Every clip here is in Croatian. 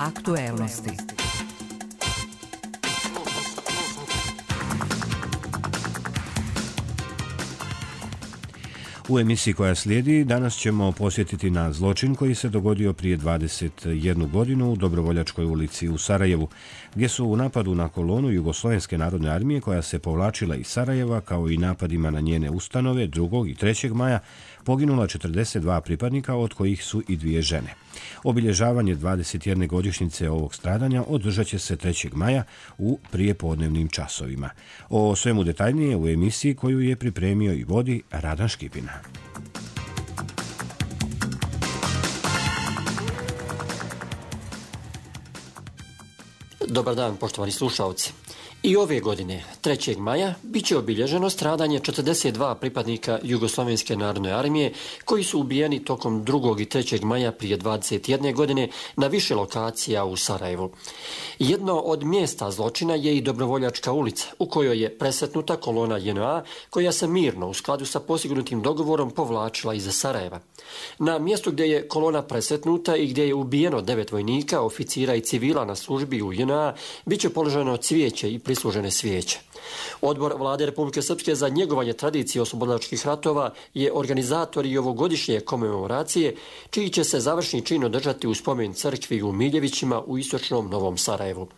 Aktuelnosti. U emisiji koja slijedi danas ćemo posjetiti na zločin koji se dogodio prije 21 godinu u Dobrovoljačkoj ulici u Sarajevu, gdje su u napadu na kolonu Jugoslovenske narodne armije koja se povlačila iz Sarajeva, kao i napadima na njene ustanove 2. i 3. maja, poginula 42 pripadnika, od kojih su i 2 žene. Obilježavanje 21. godišnjice ovog stradanja održat će se 3. maja u prijepodnevnim časovima. O svemu detaljnije u emisiji koju je pripremio i vodi Radan Škipina. Dobar dan, poštovani slušalci. I ove godine, 3. maja, bit će obilježeno stradanje 42 pripadnika Jugoslovenske narodne armije koji su ubijeni tokom 2. i 3. maja prije 21 godine na više lokacija u Sarajevu. Jedno od mjesta zločina je i Dobrovoljačka ulica, u kojoj je presretnuta kolona JNA koja se mirno, u skladu sa postignutim dogovorom, povlačila iza Sarajeva. Na mjestu gdje je kolona presretnuta i gdje je ubijeno 9 vojnika, oficira i civila na službi u JNA, bit će položeno cvijeće i prislužene svijeće. Odbor Vlade Republike Srpske za njegovanje tradicije oslobodilačkih ratova je organizator i ovogodišnje komemoracije, čiji će se završni čin održati u spomen crkvi u Miljevićima u istočnom Novom Sarajevu.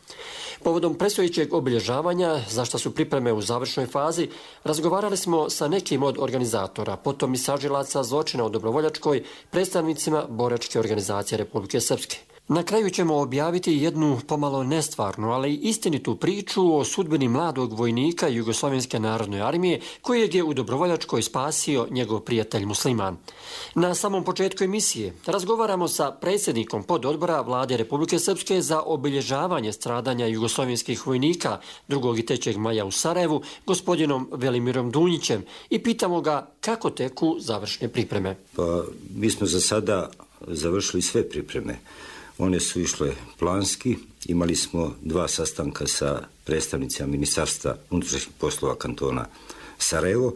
Povodom predstojećeg obilježavanja, za što su pripreme u završnoj fazi, razgovarali smo sa nekim od organizatora, potom i sažilaca zločina u Dobrovoljačkoj, predstavnicima boračke organizacije Republike Srpske. Na kraju ćemo objaviti jednu pomalo nestvarnu, ali istinitu priču o sudbini mladog vojnika Jugoslovenske narodne armije kojeg je u Dobrovoljačkoj spasio njegov prijatelj musliman. Na samom početku emisije razgovaramo sa predsjednikom pododbora Vlade Republike Srpske za obilježavanje stradanja jugoslovenskih vojnika 2. i 3. maja u Sarajevu, gospodinom Velimirom Dunjićem, i pitamo ga kako teku završne pripreme. Pa mi smo za sada završili sve pripreme. One su išle planski. Imali smo 2 sastanka sa predstavnicima Ministarstva unutrašnjih poslova kantona Sarajevo.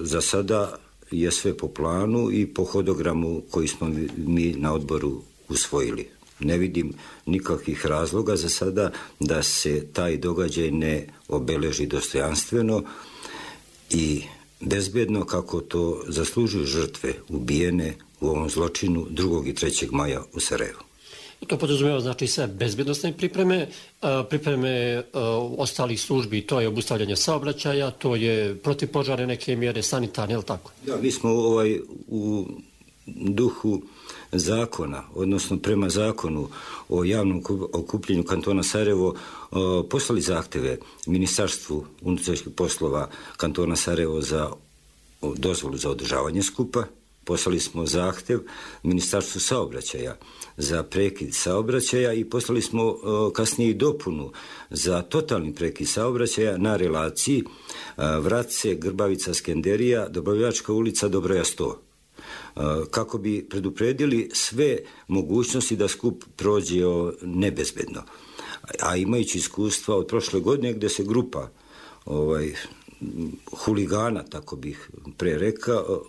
Za sada je sve po planu i po hodogramu koji smo mi na odboru usvojili. Ne vidim nikakvih razloga za sada da se taj događaj ne obeleži dostojanstveno i bezbedno kako to zaslužuju žrtve ubijene u ovom zločinu 2. i 3. maja u Sarajevu. To podrazumijeva znači sve bezbjednosne pripreme ostalih službi, to je obustavljanje saobraćaja, to je protivpožarne neke mjere, sanitarne, je li tako? Da, mi smo u duhu zakona, odnosno prema zakonu o javnom okupljenju kantona Sarajevo, poslali zahtjeve Ministarstvu unutrašnjih poslova kantona Sarajevo za dozvolu za održavanje skupa. Poslali smo zahtjev Ministarstvu saobraćaja za prekid saobraćaja i poslali smo kasnije i dopunu za totalni prekid saobraćaja na relaciji Vratce, Grbavica, Skenderija, Dobrovoljačka ulica, Dobroja 100. Kako bi predupredili sve mogućnosti da skup prođe nebezbedno. A imajući iskustva od prošle godine gdje se grupa huligana, tako bih pre rekao,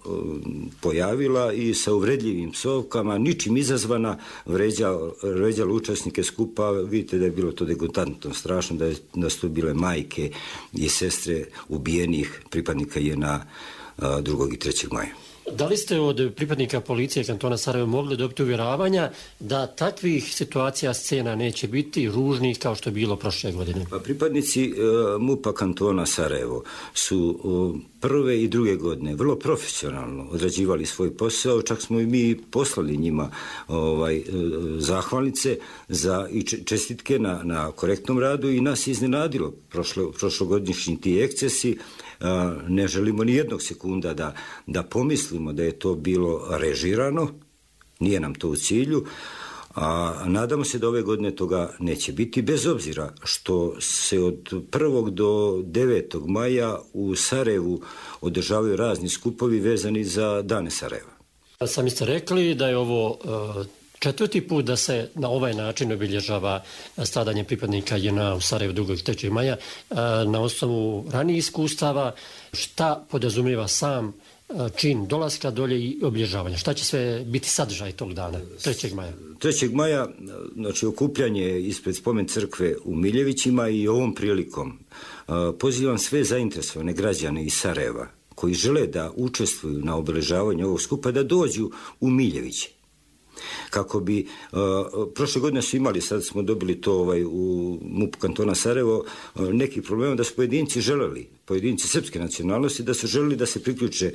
pojavila i sa uvredljivim psovkama, ničim izazvana, vređala učesnike skupa. Vidite da je bilo to degutantno, strašno, da su to bile majke i sestre ubijenih pripadnika JNA 2. i 3. maja. Da li ste od pripadnika policije kantona Sarajevo mogli dobiti uvjeravanja da takvih situacija, scena neće biti ružnih kao što je bilo prošle godine? Pa pripadnici MUP-a kantona Sarajevo su prve i druge godine vrlo profesionalno odrađivali svoj posao, čak smo i mi poslali njima zahvalnice i čestitke na korektnom radu i nas iznenadilo prošlogodišnji ti ekscesi. Ne želimo ni jednog sekunda da pomislimo da je to bilo režirano, nije nam to u cilju, a nadamo se da ove godine toga neće biti, bez obzira što se od 1. do 9. maja u Sarajevu održavaju razni skupovi vezani za dane Sarajeva. Sami ste rekli da je ovo 4. put da se na ovaj način obilježava stradanje pripadnika JNA u Sarajevu 2. i 3. maja. Na osnovu ranijih iskustava, šta podrazumijeva sam čin dolaska dolje i obilježavanja. Šta će sve biti sadržaj tog dana, 3. maja? 3. maja, znači okupljanje ispred spomen crkve u Miljevićima i ovom prilikom pozivam sve zainteresovane građane iz Sarajeva koji žele da učestvuju na obeležavanju ovog skupa da dođu u Miljeviće. Kako bi, prošle godine su imali, sad smo dobili to u MUP kantona Sarajevo, neki problema da su pojedinci srpske nacionalnosti, da su želeli da se priključe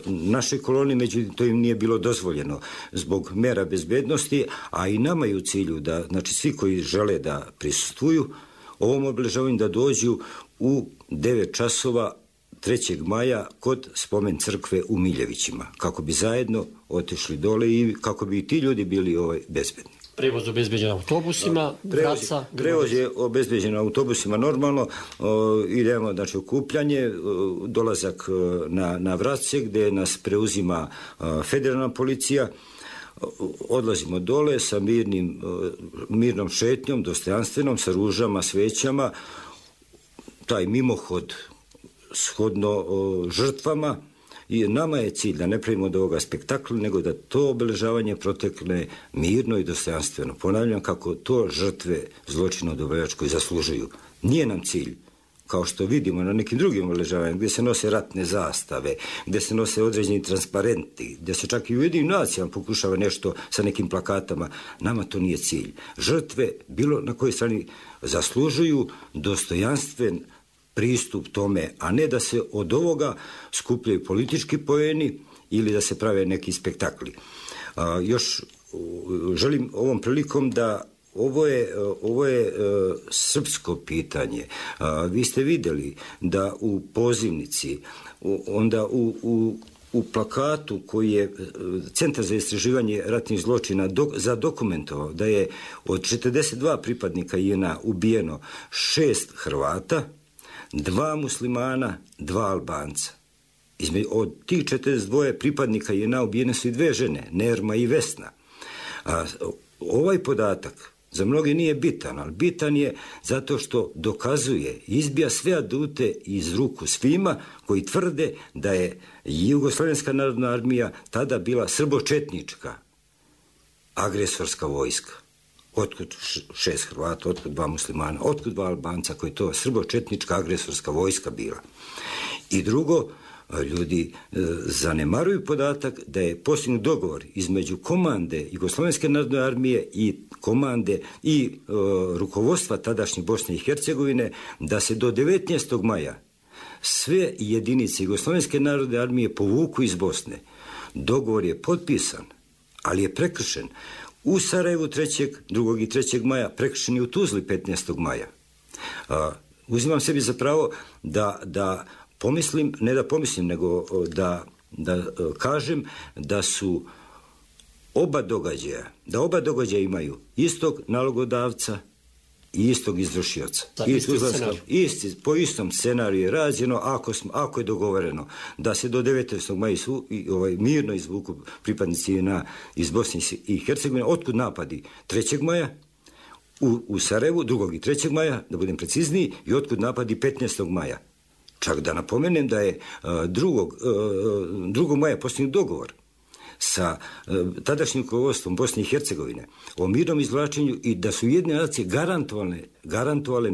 našoj koloni, međutim to im nije bilo dozvoljeno zbog mera bezbednosti, a i nama je u cilju da, znači svi koji žele da prisustvuju ovom obeležavanju da dođu u 9 časova 3. maja kod spomen crkve u Miljevićima, kako bi zajedno otišli dole i kako bi i ti ljudi bili bezbedni. Prevoz obezbeđen autobusima, Prevoz je obezbeđen autobusima normalno, idemo, znači, okupljanje, dolazak na Vratce gdje nas preuzima federalna policija, odlazimo dole sa mirnom šetnjom, dostojanstvenom, sa ružama, svećama, taj mimohod shodno žrtvama, i nama je cilj da ne pravimo od ovoga spektakla, nego da to obeležavanje protekne mirno i dostojanstveno. Ponavljam kako to žrtve zločina u Dobrovoljačkoj zaslužuju. Nije nam cilj, kao što vidimo na nekim drugim obeležavanjima, gdje se nose ratne zastave, gdje se nose određeni transparenti, gdje se čak i u Ujedinim nacijama pokušava nešto sa nekim plakatama. Nama to nije cilj. Žrtve, bilo na kojoj strani, zaslužuju dostojanstven pristup tome, a ne da se od ovoga skupljaju politički poeni ili da se prave neki spektakli. Još želim ovom prilikom da ovo je srpsko pitanje. Vi ste vidjeli da u pozivnici, onda u plakatu koji je Centar za istraživanje ratnih zločina zadokumentovao da je od 42 pripadnika JNA ubijeno 6 Hrvata, 2 muslimana, 2 Albanca. Od tih 42 pripadnika JNA ubijene su i 2 žene, Nerma i Vesna. Ovaj podatak za mnoge nije bitan, ali bitan je zato što dokazuje, izbija sve adute iz ruku svima koji tvrde da je Jugoslovenska narodna armija tada bila srbočetnička agresorska vojska. Otkud 6 Hrvata, otkud 2 muslimana, otkud 2 Albanca, koji je to srbočetnička agresorska vojska bila. I drugo, ljudi zanemaruju podatak da je postignut dogovor između komande Jugoslovenske narodne armije i komande i rukovodstva tadašnje Bosne i Hercegovine da se do 19. maja sve jedinice Jugoslovenske narodne armije povuku iz Bosne. Dogovor je potpisan, ali je prekršen u Sarajevu 2. i 3. maja, prekršen je u Tuzli 15. maja. Uzimam sebi za pravo da pomislim, ne da pomislim, nego da kažem da su oba događaja imaju istog nalogodavca i istog izvršioca. Po istom scenariju je rađeno, ako je dogovoreno da se do 19. maja mirno izvuku pripadnici iz Bosne i Hercegovine. Otkud napadi 3. maja u Sarajevu, 2. i 3. maja, da budem precizniji, i otkud napadi 15. maja. Čak da napomenem da je 2. maja postignut dogovor sa tadašnjim rukovodstvom Bosne i Hercegovine o mirnom izvlačenju i da su Ujedinjene nacije garantovale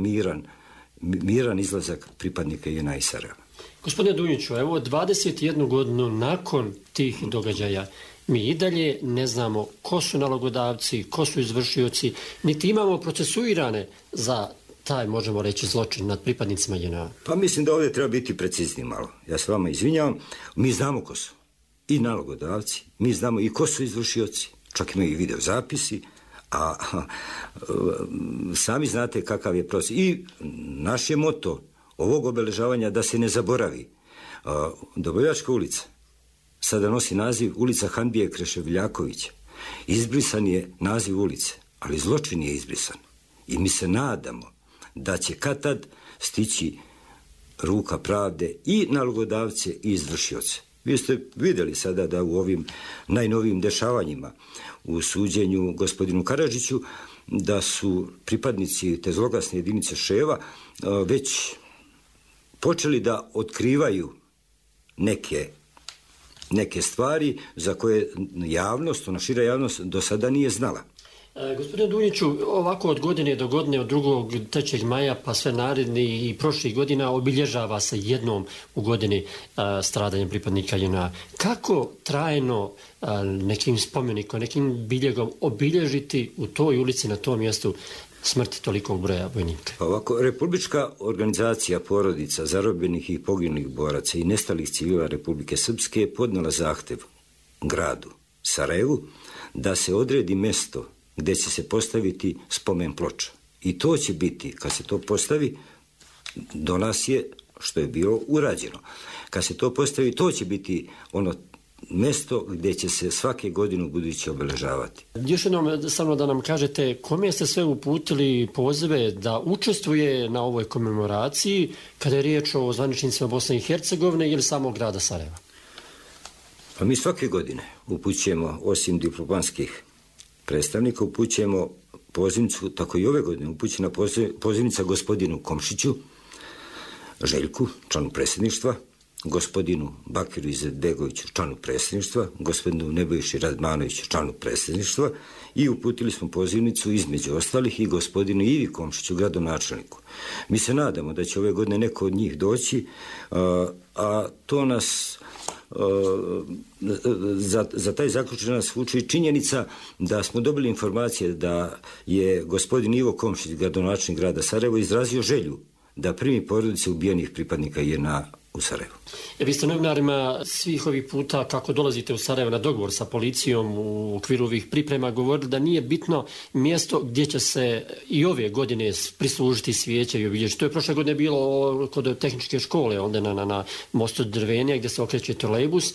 miran izlazak pripadnika JNA iz Sarajeva. Gospodine Dunjiću, evo 21 godinu nakon tih događaja mi i dalje ne znamo ko su nalogodavci, ko su izvršioci, niti imamo procesuirane za taj, možemo reći, zločin nad pripadnicima JNA. Pa mislim da ovdje treba biti precizni malo. Ja se vama izvinjavam. Mi znamo ko su i nalogodavci, mi znamo i ko su izvršioci, čak imaju i video zapisi, a sami znate kakav je proces. I naš je moto ovog obeležavanja da se ne zaboravi. Dobrovoljačka ulica sada nosi naziv ulica Handije Kreševljakovića. Izbrisan je naziv ulice, ali zločin je izbrisan. I mi se nadamo da će kad tad stići ruka pravde i nalogodavce i izvršioce. Vi ste vidjeli sada da u ovim najnovijim dešavanjima u suđenju gospodinu Karadžiću da su pripadnici te zloglasne jedinice Ševa već počeli da otkrivaju neke stvari za koje javnost, ona šira javnost do sada nije znala. Gospodine Dunjiću, ovako od godine do godine, od 2. 3. maja pa sve naredni i prošlih godina obilježava se jednom u godini stradanjem pripadnika JNA. Kako trajno nekim spomenikom, nekim biljegom obilježiti u toj ulici, na tom mjestu smrti tolikog broja vojnika? Ovako, Republička organizacija porodica zarobljenih i poginulih boraca i nestalih civila Republike Srpske je podnijela zahtjev gradu Sarajevu da se odredi mjesto gdje će se postaviti spomen ploča. I to će biti, kad se to postavi, do nas je što je bilo urađeno. Kad se to postavi, to će biti ono mjesto gdje će se svake godine u buduće obeležavati. Još jednom samo da nam kažete kome ste sve uputili pozive da učestvuje na ovoj komemoraciji kada je riječ o zvaničnicima Bosne i Hercegovine ili samog grada Sarajeva? Pa mi svake godine upućujemo, osim diplomatskih predstavnika, upućujemo pozivnicu, tako i ove godine upućena pozivnica gospodinu Komšiću, Željku, članu predsjedništva, gospodinu Bakiru Izetbegoviću, članu predsjedništva, gospodinu Nebojši Radmanoviću, članu predsjedništva, i uputili smo pozivnicu između ostalih i gospodinu Ivi Komšiću, gradonačelniku. Mi se nadamo da će ove godine neko od njih doći, a to nas za taj zaključak nas vuče činjenica da smo dobili informacije da je gospodin Ivo Komšić, gradonačelnik grada Sarajevo, izrazio želju da primi porodice ubijenih pripadnika JNA u Sarajevu. Vi ste novinarima svih ovih puta kako dolazite u Sarajevo na dogovor sa policijom u okviru ovih priprema govorili da nije bitno mjesto gdje će se i ove godine prislužiti svijeće i obilježiti. To je prošle godine bilo kod tehničke škole, onda na mostu Drvenija gdje se okreće trolejbus.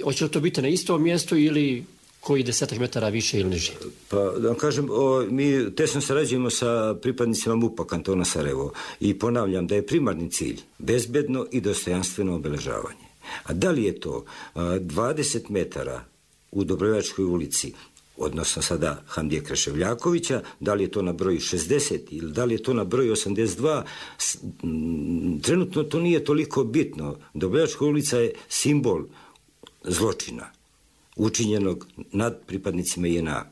Hoće li to biti na istom mjestu ili koji 10 metara više ili niže? Pa da vam kažem, mi tesno sarađujemo sa pripadnicima MUP-a kantona Sarajevo i ponavljam da je primarni cilj bezbedno i dostojanstveno obeležavanje. A da li je to 20 metara u Dobrovoljačkoj ulici, odnosno sada Hamdije Kreševljakovića, da li je to na broju 60 ili da li je to na broju 82, trenutno to nije toliko bitno. Dobrovoljačka ulica je simbol zločina učinjenog nad pripadnicima JNA.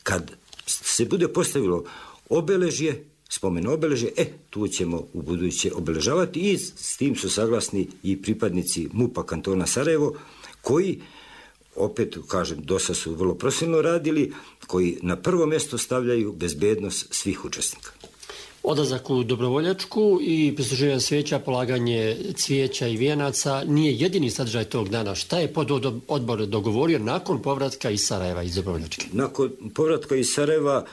Kad se bude postavilo obeležje, spomen obeležje, tu ćemo u buduće obeležavati i s tim su saglasni i pripadnici MUP-a kantona Sarajevo, koji, opet kažem, dosta su vrlo profesionalno radili, koji na prvo mjesto stavljaju bezbednost svih učesnika. Odlazak u Dobrovoljačku i prisluživanje svijeća, polaganje cvijeća i vijenaca nije jedini sadržaj tog dana. Šta je pododbor dogovorio nakon povratka iz Sarajeva, iz Dobrovoljačke? Nakon povratka iz Sarajeva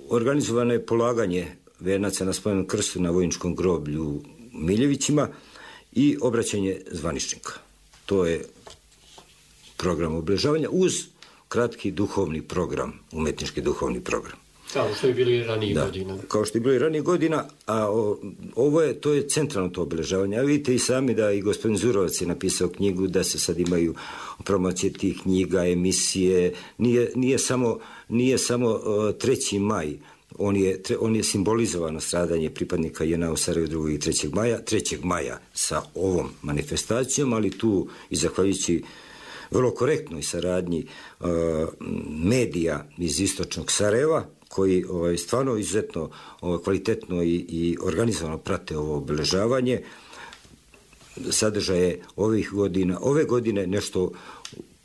organizovano je polaganje vijenaca na spomenom krstu na vojničkom groblju Miljevićima i obraćanje zvaničnika. To je program obeležavanja uz kratki duhovni program, umetnički duhovni program. Kao što je bilo i ranijih godina. Kao što je bilo i ranijih godina, a to je centralno to obeležavanje. A vidite i sami da i gospodin Zurovac je napisao knjigu, da se sad imaju promocije tih knjiga, emisije. Nije samo 3. maj, on je simbolizovano stradanje pripadnika JNA u Sarajevu 2. i 3. maja. 3. maja sa ovom manifestacijom, ali tu i zahvaljujući vrlo korektnoj saradnji medija iz istočnog Sarajeva, koji stvarno izuzetno kvalitetno i organizovano prate ovo obeležavanje. Sadržaj je ove godine nešto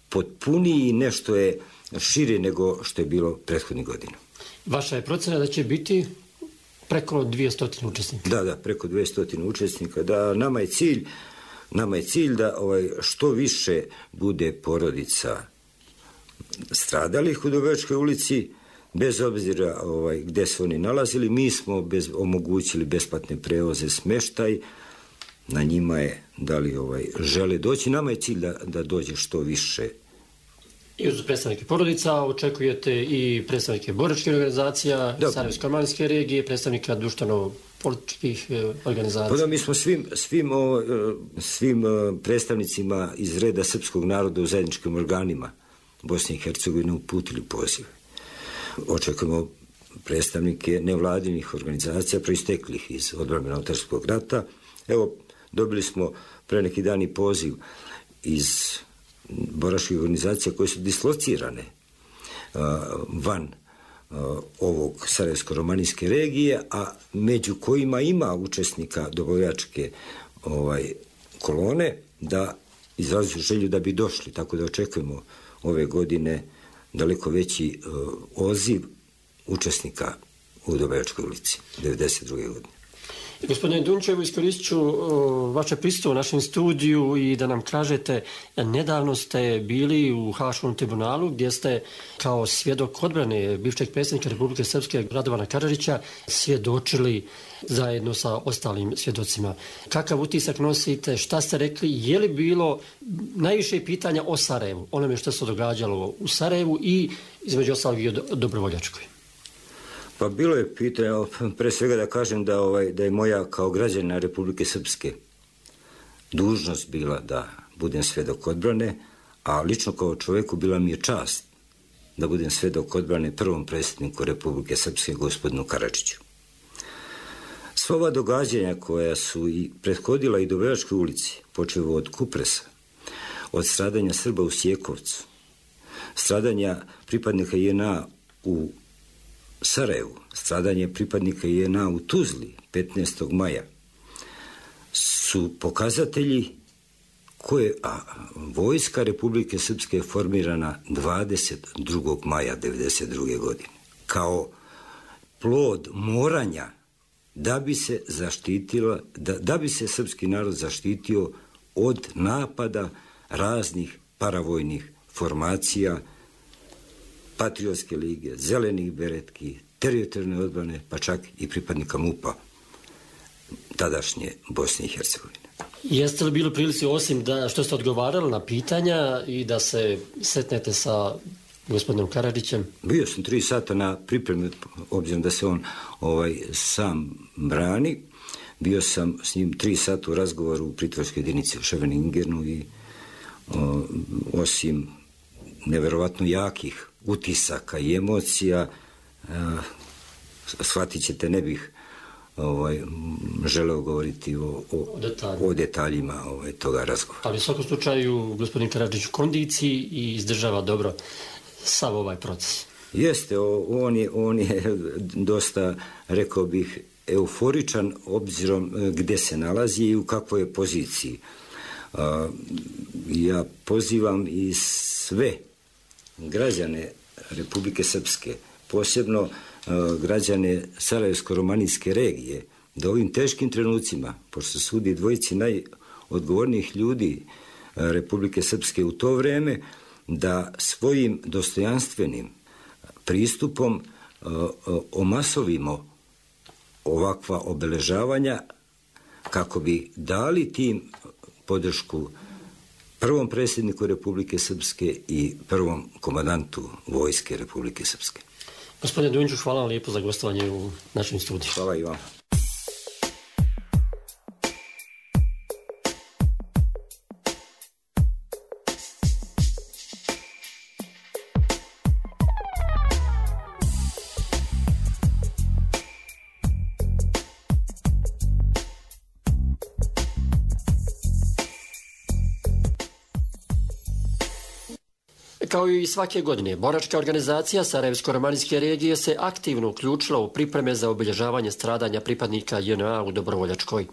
potpuniji i nešto je šire nego što je bilo prethodnih godina. Vaša je procena da će biti preko 200 učesnika? Da, preko 200 učesnika. Da, nama je cilj da što više bude porodica stradalih u Dobrovoljačkoj ulici, bez obzira gdje se oni nalazili. Mi smo omogućili besplatne prevoze, smještaj. Na njima je da li žele doći. Nama je cilj da dođe što više. I uz predstavnike porodica očekujete i predstavnike boračkih organizacija, Sarajevsko-Armanske regije, predstavnika društveno-političkih organizacija. Pa da, mi smo svim predstavnicima iz reda srpskog naroda u zajedničkim organima Bosne i Hercegovine uputili pozive. Očekujemo predstavnike nevladinih organizacija proisteklih iz odbrambeno-autorskog rata. Evo, Dobili smo pre neki dan i poziv iz boračkih organizacija koje su dislocirane van ovog sarajevsko-romanijske regije, a među kojima ima učesnika dobrovoljačke kolone, da izrazuju želju da bi došli, tako da očekujemo ove godine daleko veći odziv učesnika u Dobrovoljačkoj ulici 1992. godine. Gospodine Dunčevo, iskoristit ću vaše prisustvo u našem studiju i da nam kažete, nedavno ste bili u Haškom tribunalu gdje ste kao svjedok odbrane bivšeg predsjednika Republike Srpske Radovana Karadžića svjedočili zajedno sa ostalim svjedocima. Kakav utisak nosite, šta ste rekli, je li bilo najviše pitanja o Sarajevu, onome što se događalo u Sarajevu i između ostalog i o Dobrovoljačkoj? Pa bilo je pitanje, pre svega da kažem da je moja kao građanina Republike Srpske dužnost bila da budem svjedok odbrane, a lično kao čovjeku bila mi je čast da budem svjedok odbrane prvom predsjedniku Republike Srpske, gospodinu Karadžiću. Sva ova događanja koja su i prethodila i Dobrovoljačkoj ulici, počevo od Kupresa, od stradanja Srba u Sjekovcu, stradanja pripadnika JNA u Sarajevu, stradanje pripadnika JNA u Tuzli 15. maja, su pokazatelji koje vojska Republike Srpske je formirana 22. maja 1992. godine. Kao plod moranja da bi se zaštitila, da bi se srpski narod zaštitio od napada raznih paravojnih formacija, Patriotske lige, Zelenih beretki, teritorijalne odbrane, pa čak i pripadnika MUP-a tadašnje Bosne i Hercegovine. Jeste li bili u prilici, osim da što ste odgovarali na pitanja i da se setnete sa gospodinom Karadžićem? Bio sam 3 sata na pripremi, obzirom da se on sam brani. Bio sam s njim 3 sata u razgovoru u pritvorskoj jedinici u Ševeningenu i osim neverovatno jakih utisaka i emocija, shvatit ćete, ne bih želeo govoriti o detaljima toga razgovora. Ali u svakom slučaju gospodin Karadžić u kondiciji i izdržava dobro sav ovaj proces. Jeste, on je dosta, rekao bih, euforičan obzirom gdje se nalazi i u kakvoj je poziciji. Ja pozivam i sve građane Republike Srpske, posebno građane Sarajevsko-romanijske regije, da ovim teškim trenucima, pošto se sudi dvojici najodgovornijih ljudi Republike Srpske u to vreme, da svojim dostojanstvenim pristupom omasovimo ovakva obeležavanja kako bi dali tim podršku prvom predsjedniku Republike Srpske i prvom komandantu vojske Republike Srpske. Gospodine Dunjiću, hvala vam lijepo za gostovanje u našem studiju. Hvala i vam. Kao i svake godine, boračka organizacija Sarajevsko-romanijske regije se aktivno uključila u pripreme za obilježavanje stradanja pripadnika JNA u Dobrovoljačkoj.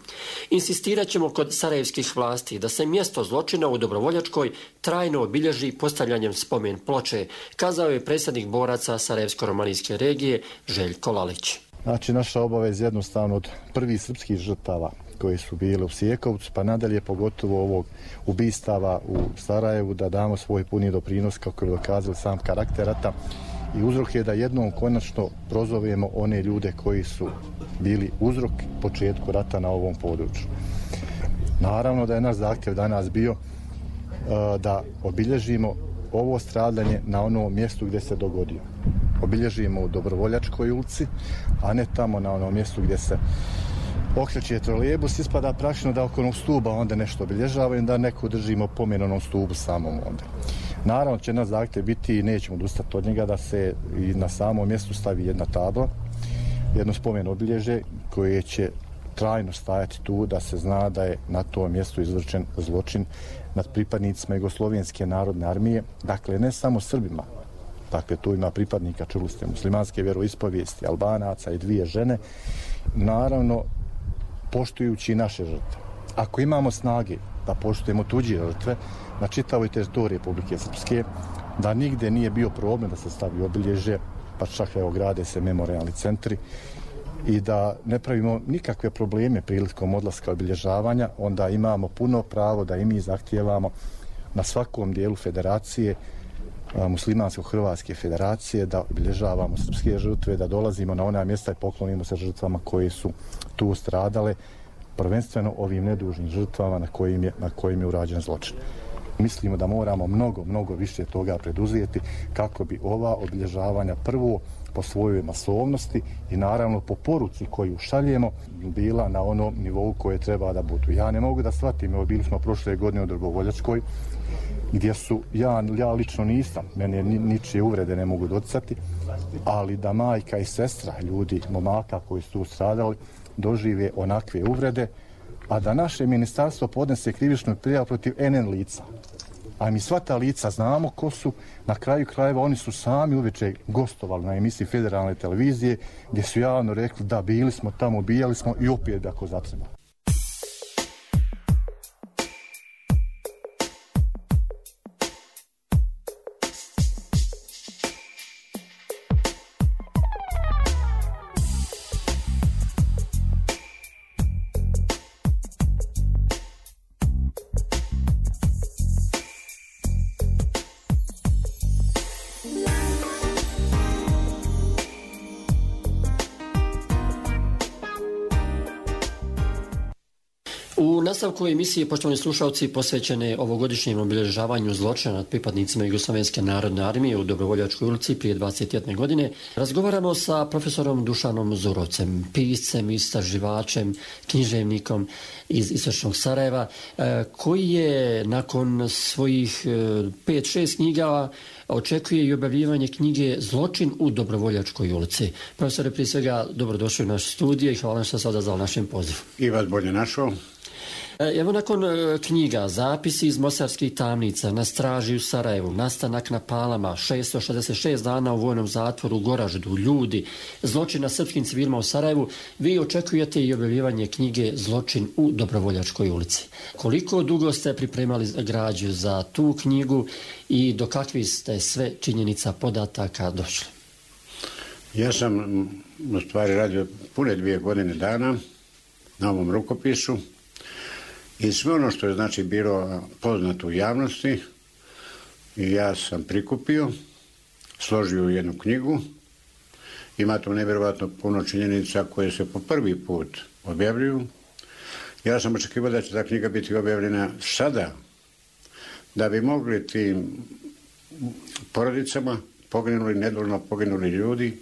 Insistirat ćemo kod sarajevskih vlasti da se mjesto zločina u Dobrovoljačkoj trajno obilježi postavljanjem spomen ploče, kazao je predsjednik boraca Sarajevsko-romanijske regije Željko Lalić. Znači, naša obaveza jednostavno od prvih srpskih žrtava koje su bile u Sjekovcu, pa nadalje pogotovo ovog ubistava u Sarajevu, da damo svoj puni doprinos, kako je dokazali sam karakter rata, i uzrok je da jednom konačno prozovemo one ljude koji su bili uzrok početku rata na ovom području. Naravno da je naš zahtjev danas bio da obilježimo ovo stradanje na onom mjestu gdje se dogodio. Obilježimo u Dobrovoljačkoj ulici, a ne tamo na onom mjestu gdje se okreće trolejbus, ispada praktično da oko onog stuba onda nešto obilježavaju, da neko držimo pomen onom stubu samom onda. Naravno će nas zahtjev biti i nećemo odustati od njega da se i na samom mjestu stavi jedna tabla, jedno spomen obilježe koje će trajno stajati tu da se zna da je na tom mjestu izvršen zločin nad pripadnicima Jugoslovenske narodne armije, dakle ne samo Srbima, dakle tu ima pripadnika, čuli ste, muslimanske vjeroispovijesti, Albanaca i 2 žene, naravno poštujući naše žrtve. Ako imamo snage da poštujemo tuđe žrtve na čitavoj teritoriji Republike Srpske, da nigde nije bio problem da se stavi obilježje, pa čak evo grade se memorijalni centri i da ne pravimo nikakve probleme prilikom odlaska obilježavanja, onda imamo puno pravo da i mi zahtijevamo na svakom dijelu federacije, muslimansko-hrvatske federacije, da obilježavamo srpske žrtve, da dolazimo na ona mjesta i poklonimo se žrtvama koje su tu stradale, prvenstveno ovim nedužnim žrtvama na kojim je urađen zločin. Mislimo da moramo mnogo više toga preduzeti kako bi ova obilježavanja prvo po svojoj masovnosti i naravno po poruci koju šaljemo bila na onom nivou koje treba da budu. Ja ne mogu da shvatim, evo bili smo prošle godine u Dobrovoljačkoj, gdje su, ja lično nisam, mene ničije uvrede ne mogu docati, ali da majka i sestra ljudi, momaka koji su tu stradali, dožive onakve uvrede, a da naše ministarstvo podnese krivičnu prijavu protiv NN lica. A mi sva ta lica znamo ko su, na kraju krajeva oni su sami uveče gostovali na emisiji Federalne televizije gdje su javno rekli da bili smo tamo, ubijali smo i opet ako zatreba. U nastavku emisije, poštovani slušalci, posvećene ovogodišnjem obilježavanju zločina nad pripadnicima Jugoslovenske narodne armije u Dobrovoljačkoj ulici prije 21 godine, razgovaramo sa profesorom Dušanom Zurovcem, piscem, istraživačem, književnikom iz istočnog Sarajeva, koji je nakon svojih 5-6 knjiga očekuje i objavljivanje knjige Zločin u Dobrovoljačkoj ulici. Profesore, prije svega, dobrodošli u naš studio i hvala što se odazvali našem pozivu. I vas bolje našao. Evo nakon knjiga, zapisi iz mostarskih tamnica, na straži u Sarajevu, nastanak na Palama, 666 dana u vojnom zatvoru u Goraždu, ljudi, zločin na srpskim civilima u Sarajevu, vi očekujete i objavljivanje knjige Zločin u Dobrovoljačkoj ulici. Koliko dugo ste pripremali građu za tu knjigu i do kakvih ste sve činjenica podataka došli? Ja sam u stvari radio pune 2 godine dana na ovom rukopisu. I sve ono što je znači bilo poznato u javnosti ja sam prikupio, složio u jednu knjigu. Ima tu nevjerovatno puno činjenica koje se po prvi put objavljuju. Ja sam očekivao da će ta knjiga biti objavljena sada, da bi mogli tim porodicama poginuli, nedužno poginuli ljudi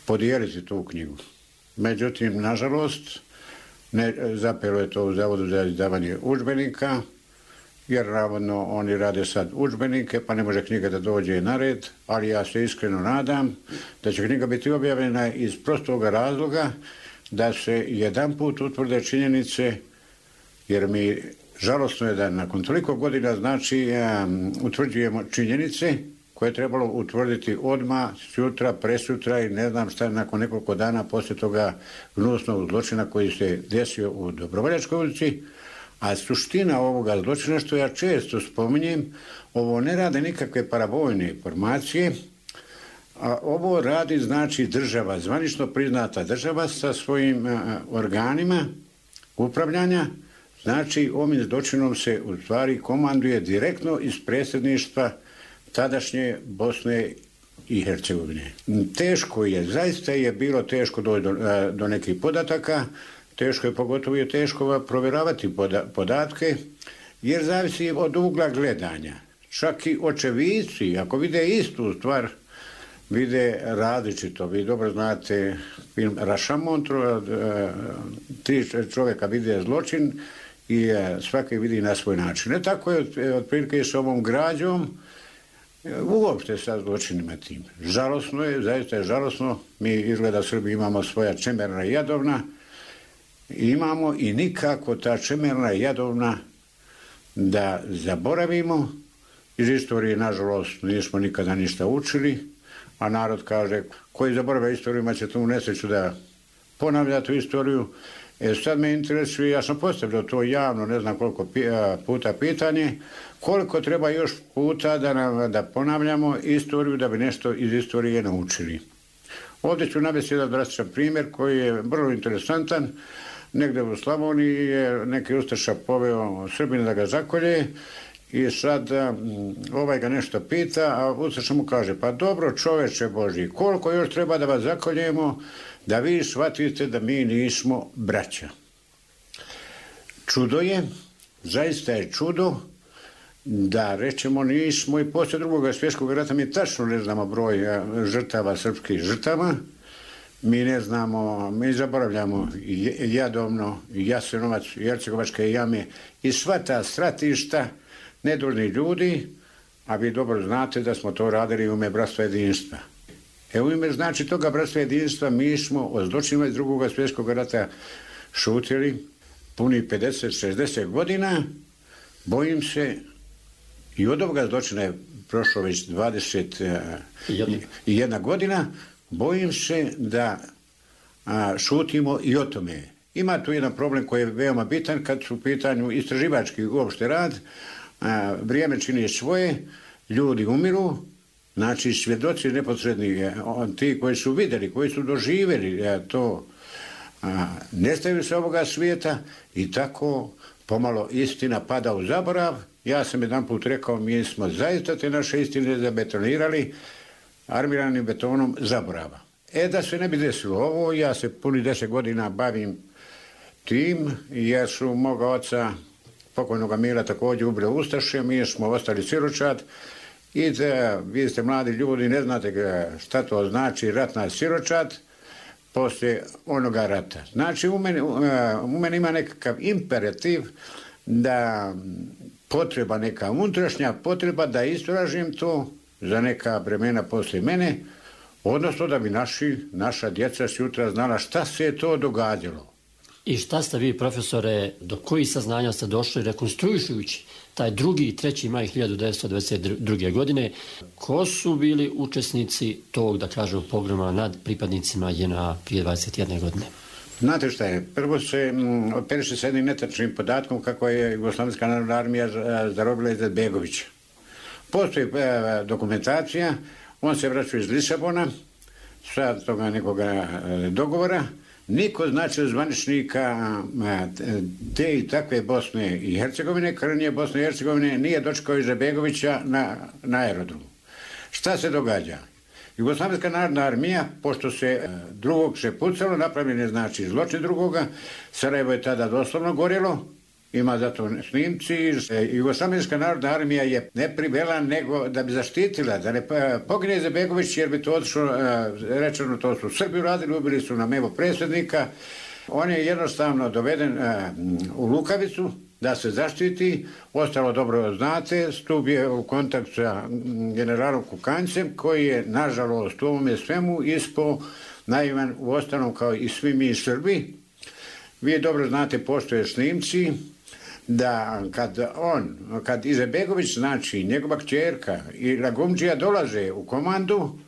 podijeliti tu knjigu. Međutim, nažalost, zapelo je to u Zavodu za izdavanje udžbenika, jer navodno oni rade sad udžbenike, pa ne može knjiga da dođe na red, ali ja se iskreno nadam da će knjiga biti objavljena iz prostog razloga da se jedanput utvrde činjenice, jer mi žalosno je da nakon toliko godina znači utvrđujemo činjenice koje je trebalo utvrditi odmah, sutra, presutra i ne znam šta nakon nekoliko dana poslije toga gnusnog zločina koji se desio u Dobrovoljačkoj ulici. A suština ovoga zločina, što ja često spominjem, ovo ne rade nikakve paravojne formacije, a ovo radi znači država, zvanično priznata država sa svojim organima upravljanja. Znači ovim zločinom se u stvari komanduje direktno iz predsjedništva tadašnje Bosne i Hercegovine. Teško je, zaista je bilo teško doći do nekih podataka, teško je pogotovo je teško provjeravati podatke, jer zavisi od ugla gledanja. Čak i očevici, ako vide istu stvar, vide različito. Vi dobro znate film Rašamon, 3 čovjeka vide zločin i svaki vidi na svoj način. Ne tako je otprilike s ovom građom, uopšte sa zločinima tim. Žalosno je, zaista je žalosno. Mi izgleda Srbi imamo svoja Čemerna i Jadovna imamo i nikako ta čemerna jadovna da zaboravimo. Iz istorije, nažalost, nismo nikada ništa učili, a narod kaže, koji zaboravlja istoriju, ima će tu nesreću da ponavlja tu istoriju. Sad me interesuje, ja sam postavljao to javno, ne znam koliko puta pitanje, koliko treba još puta da ponavljamo istoriju, da bi nešto iz istorije naučili. Ovdje ću navesti jedan drastičan primjer koji je vrlo interesantan. Negdje u Slavoniji je neki ustaša poveo Srbina da ga zakolje i sad ovaj ga nešto pita, a ustaša mu kaže, pa dobro čoveče Božji, koliko još treba da vas zakoljemo da vi shvatite da mi nismo braća. Čudo je, zaista je čudo da rečemo nismo i poslije Drugog svjetskog rata mi tačno ne znamo broj žrtava, srpskih žrtava. Mi ne znamo, mi zaboravljamo Jadovno, Jasenovac, Hercegovačke jame i sva ta stratišta nedužni ljudi, a vi dobro znate da smo to radili u ime bratstva jedinstva. U ime znači toga bratstva jedinstva mi smo o zločinima iz Drugog svjetskog rata šutili puni 50-60 godina. Bojim se, i od ovoga zločina je prošlo već 21 godina, bojim se da šutimo i o tome. Ima tu jedan problem koji je veoma bitan kad su u pitanju istraživački uopšte rad. Vrijeme čini svoje, ljudi umiru, znači svjedoci neposredni, ti koji su vidjeli, koji su doživjeli to, nestaju se ovoga svijeta i tako pomalo istina pada u zaborav. Ja sam jedan put rekao, mi smo zaista te naše istine zabetonirali armiranim betonom zaborava. Da se ne bi desilo ovo, ja se puni 10 godina bavim tim, jer su moga oca, pokojnoga Mila, također ubili ustaše, mi smo ostali siročad i vi ste mladi ljudi, ne znate šta to znači ratna siročad poslije onoga rata. Znači u meni ima nekakav imperativ da potreba, neka unutrašnja potreba da istražim to za neka vremena poslije mene, odnosno da bi naša djeca sutra znala šta se je to događalo. I šta ste vi, profesore, do kojih saznanja ste došli rekonstruišujući taj 2. i 3. maj 1922. godine? Ko su bili učesnici tog, da kažem, pogroma nad pripadnicima JNA prije 21 godine? Znate šta je, prvo se operiše s jednim netačnim podatkom kako je Jugoslovenska narodna armija zarobila Izetbegovića. Postoji dokumentacija, on se vraća iz Lisabona, sa toga nekoga dogovora, niko znači zvaničnika te i takve Bosne i Hercegovine, krnje Bosne i Hercegovine, nije dočekao Izetbegovića na aerodromu. Šta se događa? Jugoslovenska narodna armija, pošto se drugog se pucalo, napravljen je znači zločin drugoga, Sarajevo je tada doslovno gorjelo, ima zato snimci. Jugoslovenska narodna armija je ne privela nego da bi zaštitila, da ne pogine Izetbegović, jer bi to otišlo, rečeno to su Srbi uradili, ubili su nam evo predsjednika. On je jednostavno doveden u Lukavicu da se zaštiti, ostalo dobro znate, stupio u kontakt sa generalom Kukanjcem, koji je nažalost u ovome svemu ispao naivan u ostalom kao i svi mi Srbi. Vi dobro znate, postoje snimci da kad Izetbegović, znači njegova kćerka i Lagumdžija dolaze u komandu,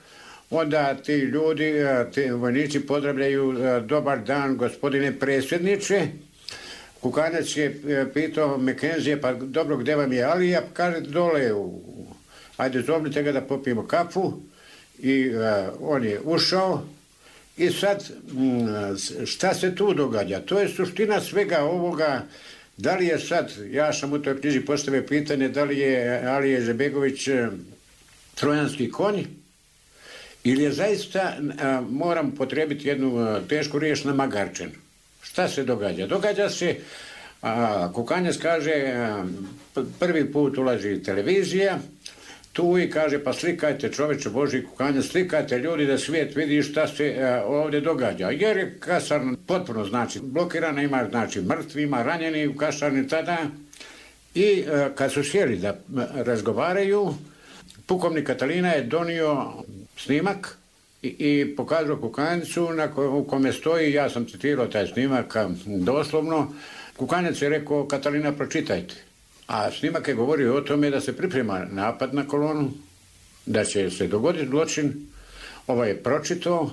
onda ti ljudi, ti vojnici pozdravljaju, dobar dan gospodine predsjedniče. Kukanjac je pitao Mekenzije, pa dobro, gdje vam je Alija? Kaže, dole, ajde zovnite ga da popijemo kafu. I on je ušao. I sad, šta se tu događa? To je suština svega ovoga. Da li je sad, ja sam u toj knjizi postavio pitanje, da li je Alija Izetbegović trojanski konj, ili je zaista, moram potrebiti jednu tešku riječ, namagarčen. Šta se događa? Događa se, Kukanjac kaže, prvi put ulazi televizija, tu i kaže, pa slikajte čoveče Božji, Kukanjac, slikajte ljudi da svijet vidi šta se ovdje događa. Jer je kasarna potpuno znači blokirana, ima znači mrtvi, ima ranjeni u kasarni tada. I kad su sjeli da razgovaraju, pukovnik Katalina je donio snimak i pokazao kukanicu u kome stoji, ja sam citirao taj snimak doslovno, kukanac je rekao: Katalina, pročitajte. A snimak je govorio o tome da se priprema napad na kolonu, da će se dogoditi zločin. Ovaj je pročitao,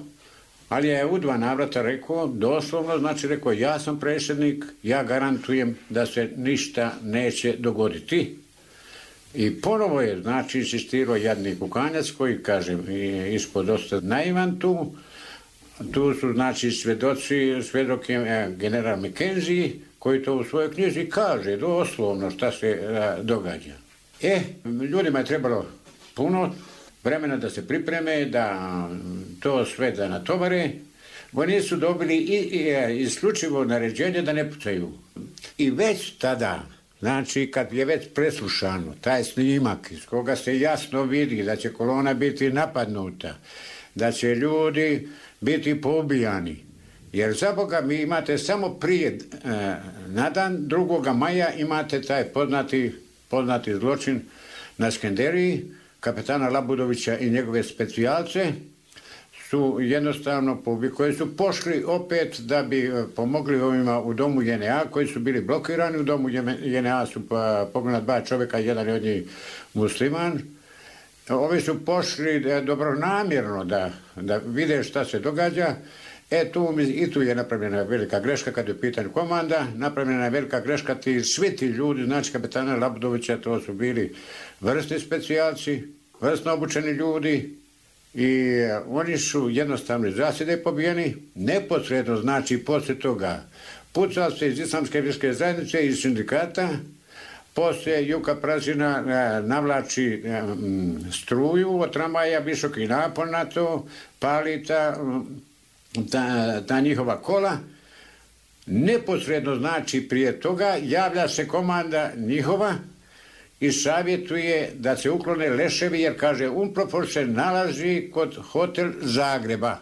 ali je u 2 navrata rekao, doslovno, znači rekao: ja sam predsjednik, ja garantujem da se ništa neće dogoditi. I ponovo je, znači, insistirao jadni kukanac koji, kažem, ispod dosta naivan tu. Tu su, znači, svjedok je general McKenzie, koji to u svojoj knjizi kaže doslovno šta se događa. Ljudima je trebalo puno vremena da se pripreme, da to sve da natovare. Oni su dobili isključivo naređenje da ne pucaju. I već tada, znači kad je već preslušano taj snimak iz koga se jasno vidi da će kolona biti napadnuta, da će ljudi biti poubijani, jer za Boga mi imate samo prije, na dan 2. maja imate taj poznati zločin na Skenderiji, kapetana Labudovića i njegove specijalce su jednostavno koji su pošli opet da bi pomogli ovima u domu JNA koji su bili blokirani. U domu JNA su poginula 2 čovjeka, jedan je od njih musliman. Ovi su pošli dobronamjerno da vide šta se događa. Tu je napravljena velika greška kad je u pitanju komanda, napravljena je velika greška, svi ti ljudi, znači kapetana Labudovića, to su bili vrsni specijalci, vrsno obučeni ljudi i oni su jednostavno iz zasjede pobijeni, neposredno, znači poslije toga pucao se iz Islamske vjerske zajednice, iz sindikata, poslije Juka Prazina navlači struju od tramvaja, visoki napon na to, pali ta njihova kola. Neposredno, znači prije toga javlja se komanda njihova i savjetuje da se uklone leševi, jer kaže UNPROFOR se nalazi kod Hotel Zagreba.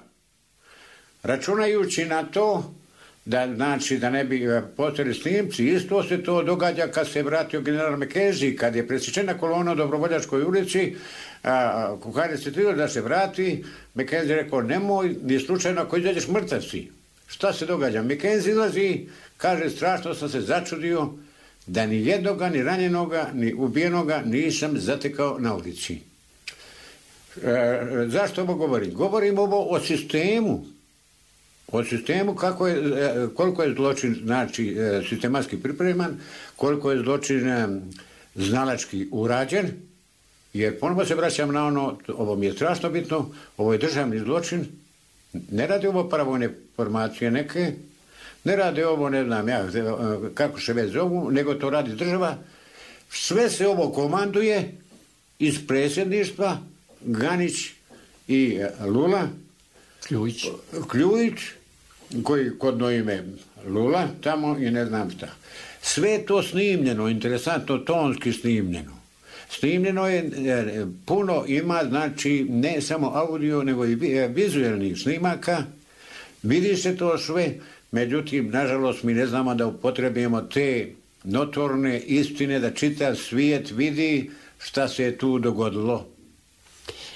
Računajući na to da ne bi postojali snimci, isto se to događa kad se vratio general McKenzie, kad je presječena kolona u Dobrovoljačkoj ulici, kukanac je trebao da se vrati, McKenzie rekao: nemoj, ni slučajno ako izađeš mrtav si. Šta se događa? McKenzie izlazi, kaže: strašno sam se začudio da ni jednoga, ni ranjenoga, ni ubijenoga nisam zatekao na ulici. Zašto ovo govorim? Govorim ovo o sistemu. O sistemu koliko je zločin, znači, sistematski pripreman, koliko je zločin znalački urađen, jer ponovno se vraćam na ovo mi je strašno bitno, ovo je državni zločin, ne radi ovo paravojne formacije neke, ne radi ovo, ne znam ja kako se već zovu, nego to radi država. Sve se ovo komanduje iz predsjedništva, Ganić i Lula, Kljujić, koji kodno ime Lula tamo i ne znam šta. Sve je to snimljeno, interesantno, tonski snimljeno. Snimljeno je, puno ima, znači ne samo audio, nego i vizualnih snimaka. Vidi se to sve, međutim, nažalost, mi ne znamo da upotrebimo te notorne istine, da čitav svijet vidi šta se je tu dogodilo.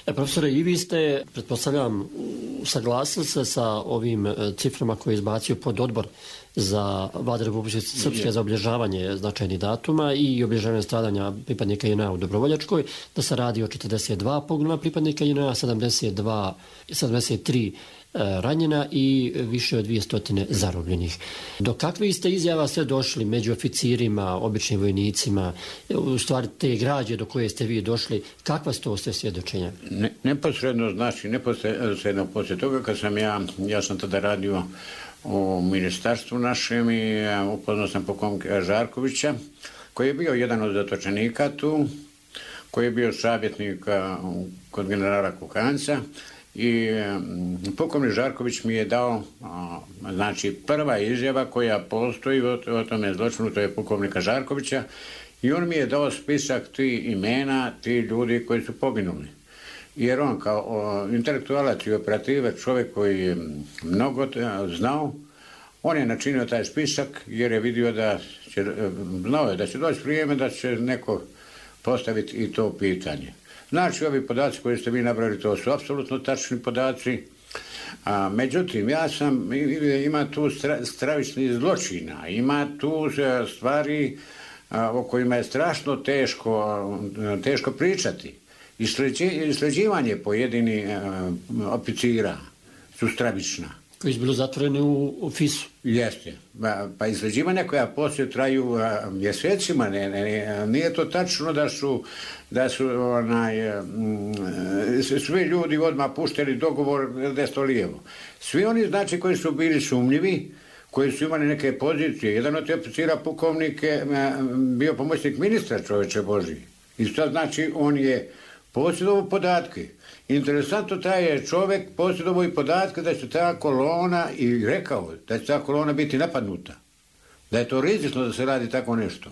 Profesore, i vi ste, pretpostavljam, saglasili se sa ovim ciframa koje je izbacio pododbor za Vlade Republike Srpske za obilježavanje značajnih datuma i obilježavanje stradanja pripadnika JNA u Dobrovoljačkoj, da se radi o 42 poginula pripadnika JNA, 73 ranjena i više od 200 zarobljenih. Do kakvih ste izjava sve došli među oficirima, običnim vojnicima, u stvari te građe do koje ste vi došli, kakva su to sve svjedočenja? Neposredno, znači, neposredno poslije toga kad sam ja sam tada radio u ministarstvu našem i upoznao sam pukovnika Žarkovića, koji je bio jedan od zatočenika tu, koji je bio savjetnik kod generala Kukanca. I pukovnik Žarković mi je dao, znači, prva izjava koja postoji o tome zločinu, to je pukovnika Žarkovića, i on mi je dao spisak tih imena, tih ljudi koji su poginuli. Jer on kao intelektualac i operativac, čovjek koji je mnogo znao, on je načinio taj spisak jer je vidio znao je da će doći vrijeme da će neko postaviti i to pitanje. Znači, ovi podaci koji ste vi nabrali, to su apsolutno tačni podaci. Međutim, ima tu stravičnih zločina, ima tu stvari o kojima je strašno teško pričati. Isleđivanje pojedinih oficira su stravična. Koji su bili zatvoreni u FIS-u. Jeste. Pa isleđivanja koja poslije traju mjesecima, nije to tačno da su svi ljudi odmah pušteni dogovor desno lijevo. Svi oni, znači, koji su bili sumnjivi, koji su imali neke pozicije, jedan od oficira pukovnik je bio pomoćnik ministra, čovječe Božji. I sad, znači, on je posjedovao podatke. Interesantno, taj je čovjek posjedovao i podatke da će ta kolona, i rekao da će ta kolona biti napadnuta. Da je to rizično da se radi tako nešto.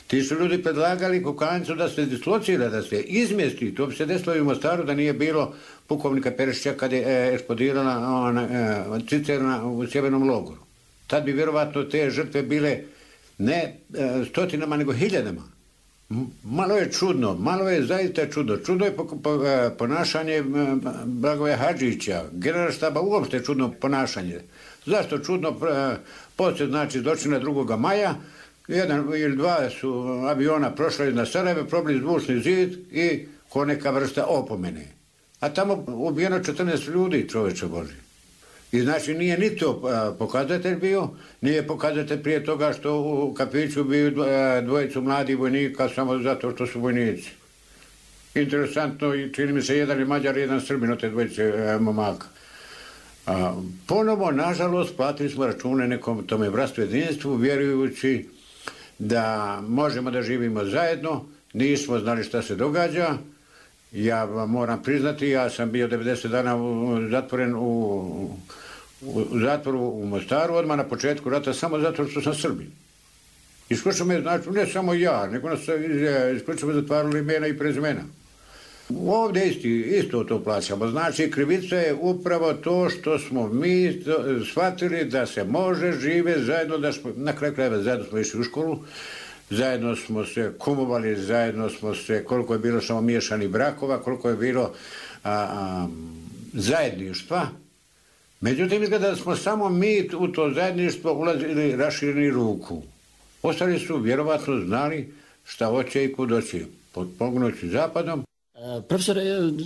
Ti su ljudi predlagali Kukancu da se dislocira, da se izmjesti. To bi se desilo i u Mostaru da nije bilo pukovnika Perišića kad je eksplodirala cisterna u sjevernom logoru. Tad bi vjerovatno te žrtve bile ne stotinama, nego hiljadama. Malo je čudno, malo je zaista čudno. Čudno je ponašanje Blagoja Hadžića, generalštaba uopšte čudno ponašanje. Zašto čudno? Poslije, znači, zločina 2. maja, jedan ili dva su aviona prošli na Sarajevo, probili zvučni zid i ko neka vrsta opomene. A tamo ubijeno 14 ljudi, čovječe Božji. I znači nije ni to pokazatelj bio, nije pokazatelj prije toga što u kafiću bio dvojicu mladih vojnika samo zato što su vojnici. Interesantno, i čini mi se jedan je Mađar, jedan Srbin od te dvojice momaka. Ponovo, nažalost, platili smo račune nekom tome bratstvu jedinstvu, vjerujući da možemo da živimo zajedno, nismo znali šta se događa. Ja vam moram priznati, ja sam bio 90 dana zatvoren u zatvoru u Mostaru, odmah na početku rata, samo zato što sam Srbin. Isključivo me, znači, ne samo ja, nego nas isključivo zatvarali imena i prezimena. Ovdje isto to plaćamo. Znači, krivica je upravo to što smo mi shvatili da se može žive zajedno, da smo, na kraju krajeva zajedno smo išli u školu, zajedno smo se kumovali, zajedno smo se, koliko je bilo samo miješanih brakova, koliko je bilo zajedništva. Međutim, izgleda da smo samo mi u to zajedništvo ulazili rašireni ruku. Ostali su vjerovatno znali šta hoće i kud hoće, potpomognući zapadom. Profesore,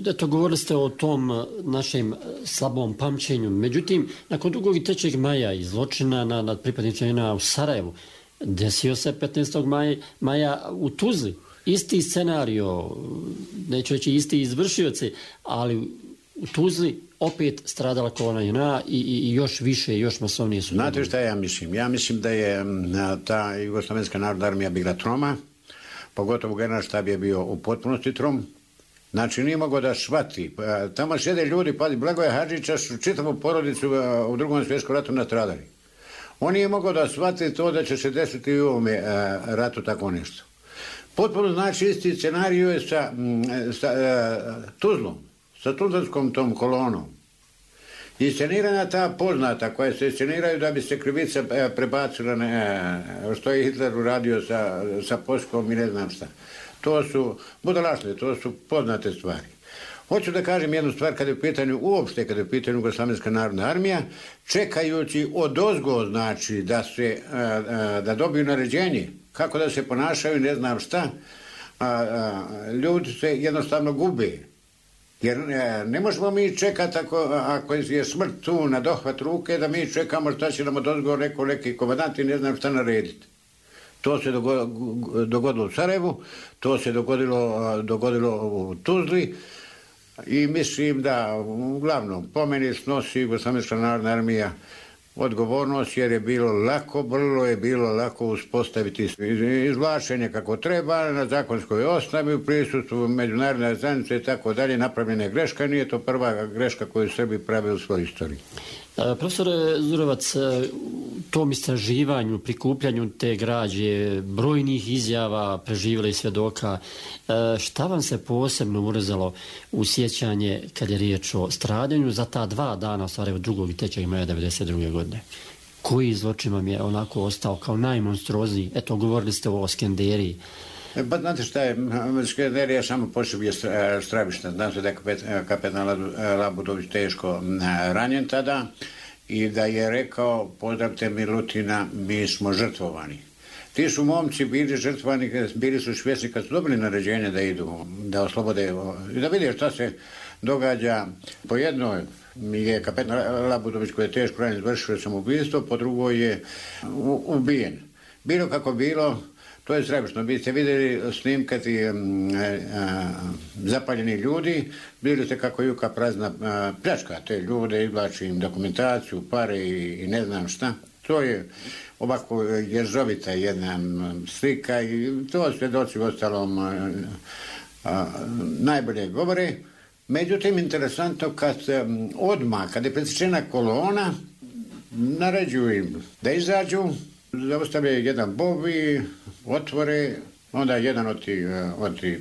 eto, govorili ste o tom našem slabom pamćenju. Međutim, nakon 2. i 3. maja i zločina nad pripadnicima u Sarajevu, desio se 15. maja u Tuzli. Isti scenario, neću reći isti izvršioci, ali u Tuzli opet stradala kolona JNA i još više, još masovnije su. Znate šta ja mislim? Ja mislim da je ta Jugoslovenska narodna armija bila troma, pogotovo generalštab je bio u potpunosti trom. Znači, nije mogao da shvati. Tamo sjede ljudi, pa Blagoja Hadžića su čitavu porodicu u 2. svjetskom ratu nastradali. On nije mogao da shvati to da će se desiti u ovome ratu tako nešto. Potpuno, znači, isti scenariju je sa Tuzlom, sa Tuzlanskom tom kolonom. I scenirana ta poznata koja se sceniraju da bi se krivica prebacila što je Hitler uradio sa Poljskom i ne znam šta. To su budalaštine, to su poznate stvari. Hoću da kažem jednu stvar kada je u pitanju, uopšte kada je u pitanju Jugoslovenska narodna armija, čekajući odozgo, znači, da dobiju naređenje, kako da se ponašaju, ne znam šta, ljudi se jednostavno gube. Jer ne možemo mi čekati ako je smrt tu na dohvat ruke, da mi čekamo šta će nam odozgo neki komandant i ne znam šta narediti. To se dogodilo u Sarajevu, to se dogodilo u Tuzli i mislim da uglavnom po meni snosi Jugoslovenska narodna armija odgovornost jer je bilo lako, vrlo je bilo lako uspostaviti izvlačenje kako treba na zakonskoj osnovi u prisustvu međunarodne zajednice i tako dalje, napravljena je greška, nije to prva greška koju Srbi prave u svojoj istoriji. Profesore Zurovac, tom istraživanju, prikupljanju te građe, brojnih izjava preživjelih svjedoka, šta vam se posebno urezalo u sjećanje kad je riječ o stradanju za ta 2 dana, stvari od 2. i 3. maja 1992. godine? Koji zločin vam je onako ostao kao najmonstruozniji? Eto, govorili ste o Skenderiji. Pa znate šta je, Skenderija samo po sebi je stravična. Znam se da je kapetan Labudović teško ranjen tada i da je rekao, pozdravite Milutina, mi smo žrtvovani. Ti su momci bili žrtvovani, bili su svjesni kad su dobili naređenje da idu, da oslobode, da vide šta se događa. Po jednoj je kapetan Labudović koji je teško ranjen izvršio samoubistvo, po drugoj je ubijen. Bilo kako bilo, to je stravično. Vi ste vidjeli snimkati zapaljeni ljudi, vidjeli ste kako Juka prazna pljačka te ljude, izvlači im dokumentaciju, pare i ne znam šta. To je ovako ježovita jedna slika i to svjedoci u ostalom najbolje govore. Međutim, interesantno kad je presječena kolona, naređuju im da izađu, zaustavljaju jedan bobi, otvore, onda jedan od ti,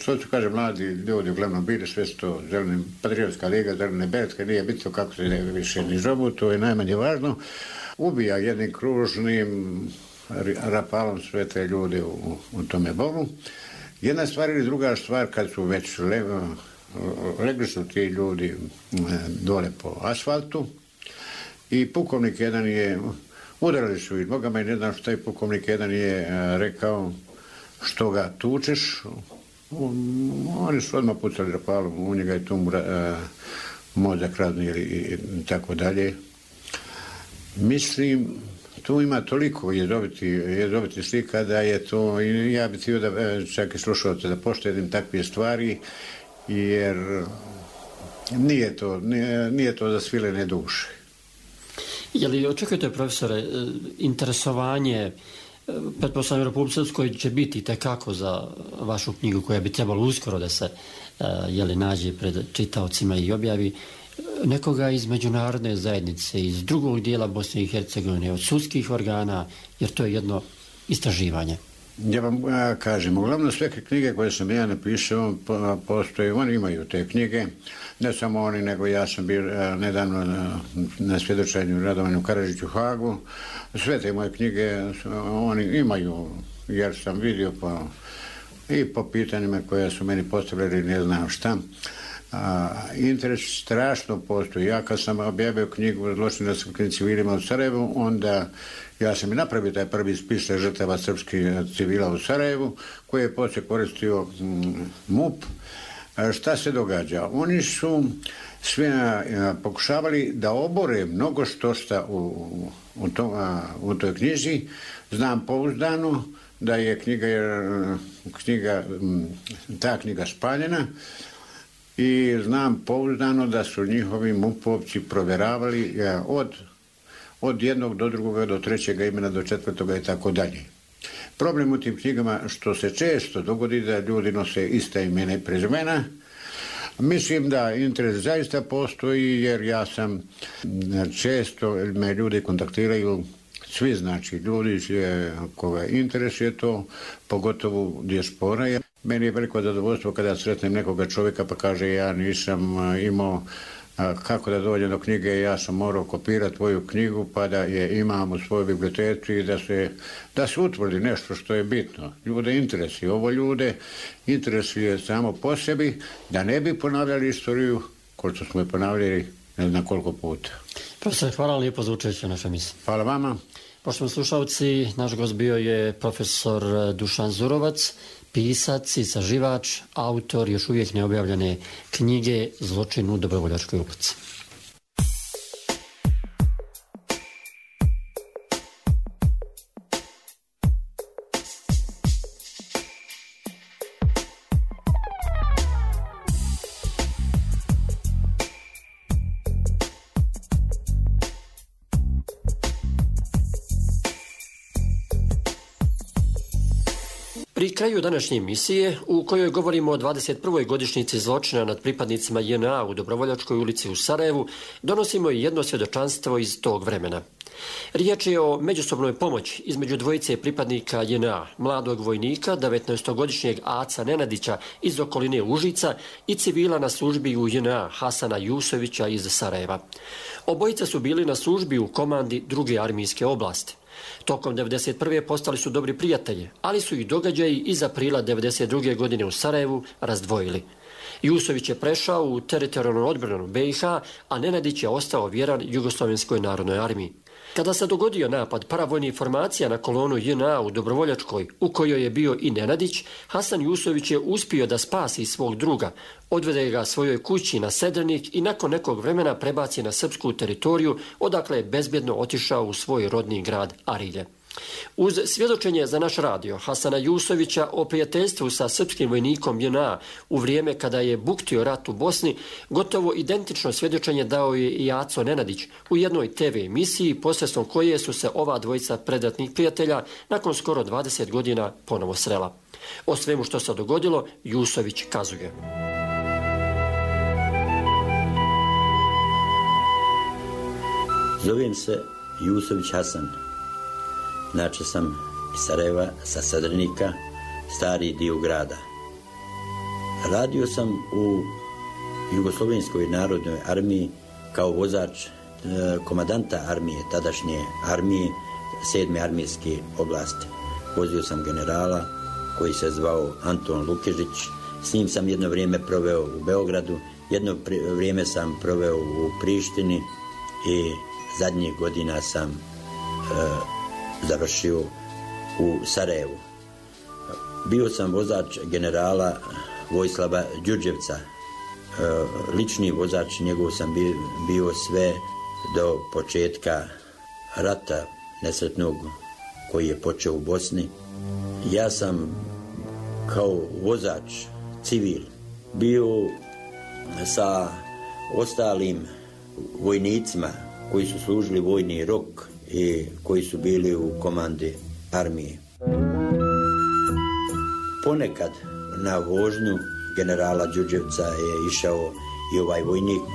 što se kaže, mladi ljudi uglavnom bili, sve su to zelene, Patriotska liga, zelene beretke, nije bitno kako se više ni zovu, to je najmanje važno, ubija jednim kružnim rapalom sve te ljude u tome bobu. Jedna stvar ili druga stvar, kad su već legli su ti ljudi dole po asfaltu i pukovnik jedan je, udarali su ih nogama i ne znam što je pukovnik jedan je rekao, što ga tučeš, oni su odmah pucali rapalom, u njega je tu mozak razni i tako dalje. Mislim, tu ima toliko jezoviti slika da je to, ja bih htio da čak i slušalce da poštedim takve stvari, jer nije to za svilene duše. Je li očekujete, profesore, interesovanje, pretpostavljam, u Republici Srpskoj će biti tekako za vašu knjigu koja bi trebalo uskoro da se nađe pred čitaocima i objavi, nekoga iz međunarodne zajednice, iz drugog dijela Bosne i Hercegovine, od sudskih organa, jer to je jedno istraživanje? Ja vam kažem, uglavnom sve knjige koje sam ja napisao postoje, oni imaju te knjige, ne samo oni, nego ja sam bio nedavno na svjedočenju Radovanu Karadžiću u Hagu, sve te moje knjige oni imaju, jer sam vidio i po pitanjima koja su meni postavljali, ne znam šta. Interes strašno postoji. Ja kad sam objavio knjigu Zločin nad srpskim civilima u Sarajevu, onda ja sam i napravio taj prvi spis žrtava srpskih civila u Sarajevu, koji je poslije koristio MUP. Šta se događa? Oni su sve pokušavali da obore mnogo što šta u toj knjizi. Znam pouzdano da je ta knjiga spaljena i znam pouzdano da su njihovi MUP-ovci provjeravali od jednog do drugoga, do trećega imena, do četvrtoga i tako dalje. Problem u tim knjigama što se često dogodi da ljudi nose ista imena i prezimena. Mislim da interes zaista postoji, jer ja sam često, me ljudi kontaktiraju, svi znači ljudi koga interesuje to, pogotovo dijaspora. Meni je veliko zadovoljstvo kada sretnem nekoga čovjeka pa kaže ja nisam imao kako da dođem do knjige, ja sam morao kopirati tvoju knjigu pa da je imam u svojoj biblioteci i da se utvrdi nešto što je bitno. Ljude interesuje. Ovo ljude interesuje samo po sebi, da ne bi ponavljali istoriju koju smo je ponavljali ne znam koliko puta. Profesor, hvala lijepo za učešće u našoj emisiji. Hvala vama. Poštovani slušalci, naš gost bio je profesor Dušan Zurovac, pisac, istraživač, autor još uvijek neobjavljene knjige Zločin u Dobrovoljačkoj ulici. Pri kraju današnje emisije, u kojoj govorimo o 21. godišnjici zločina nad pripadnicima JNA u Dobrovoljačkoj ulici u Sarajevu, donosimo i jedno svjedočanstvo iz tog vremena. Riječ je o međusobnoj pomoći između dvojice pripadnika JNA, mladog vojnika, 19-godišnjeg Aca Nenadića iz okoline Užica i civila na službi u JNA Hasana Jusovića iz Sarajeva. Obojica su bili na službi u komandi 2. armijske oblasti. Tokom 1991. postali su dobri prijatelji, ali su ih događaji iz aprila 1992. godine u Sarajevu razdvojili. Jusović je prešao u teritorijalnu odbranu BiH, a Nenadić je ostao vjeran Jugoslovenskoj narodnoj armiji. Kada se dogodio napad paravojnih formacija na kolonu JNA u Dobrovoljačkoj, u kojoj je bio i Nenadić, Hasan Jusović je uspio da spasi svog druga, odvede ga svojoj kući na Sedrenik i nakon nekog vremena prebaci na srpsku teritoriju, odakle je bezbjedno otišao u svoj rodni grad Arilje. Uz svjedočenje za naš radio Hasana Jusovića o prijateljstvu sa srpskim vojnikom JNA u vrijeme kada je buktio rat u Bosni, gotovo identično svjedočenje dao je i Aco Nenadić u jednoj TV emisiji posredstvom koje su se ova dvojica predratnih prijatelja nakon skoro 20 godina ponovo srela. O svemu što se dogodilo Jusović kazuje. Zovem se Jusović Hasan. Inače sam iz Sarajeva, sa Sedrenika, stari dio grada. Radio sam u Jugoslovenskoj narodnoj armiji kao vozač komadanta armije, tadašnje armije, 7. armijske oblasti. Vozio sam generala koji se zvao Anton Lukežić. S njim sam jedno vrijeme proveo u Beogradu, jedno vrijeme sam proveo u Prištini i zadnjih godina sam završio u Sarajevu. Bio sam vozač generala Vojislava Đurđevca. Lični vozač njegov sam bio sve do početka rata nesretnog koji je počeo u Bosni. Ja sam kao vozač civil bio sa ostalim vojnicima koji su služili vojni rok i koji su bili u komandi armije. Ponekad na vožnju generala Đurđevca je išao i ovaj vojnik,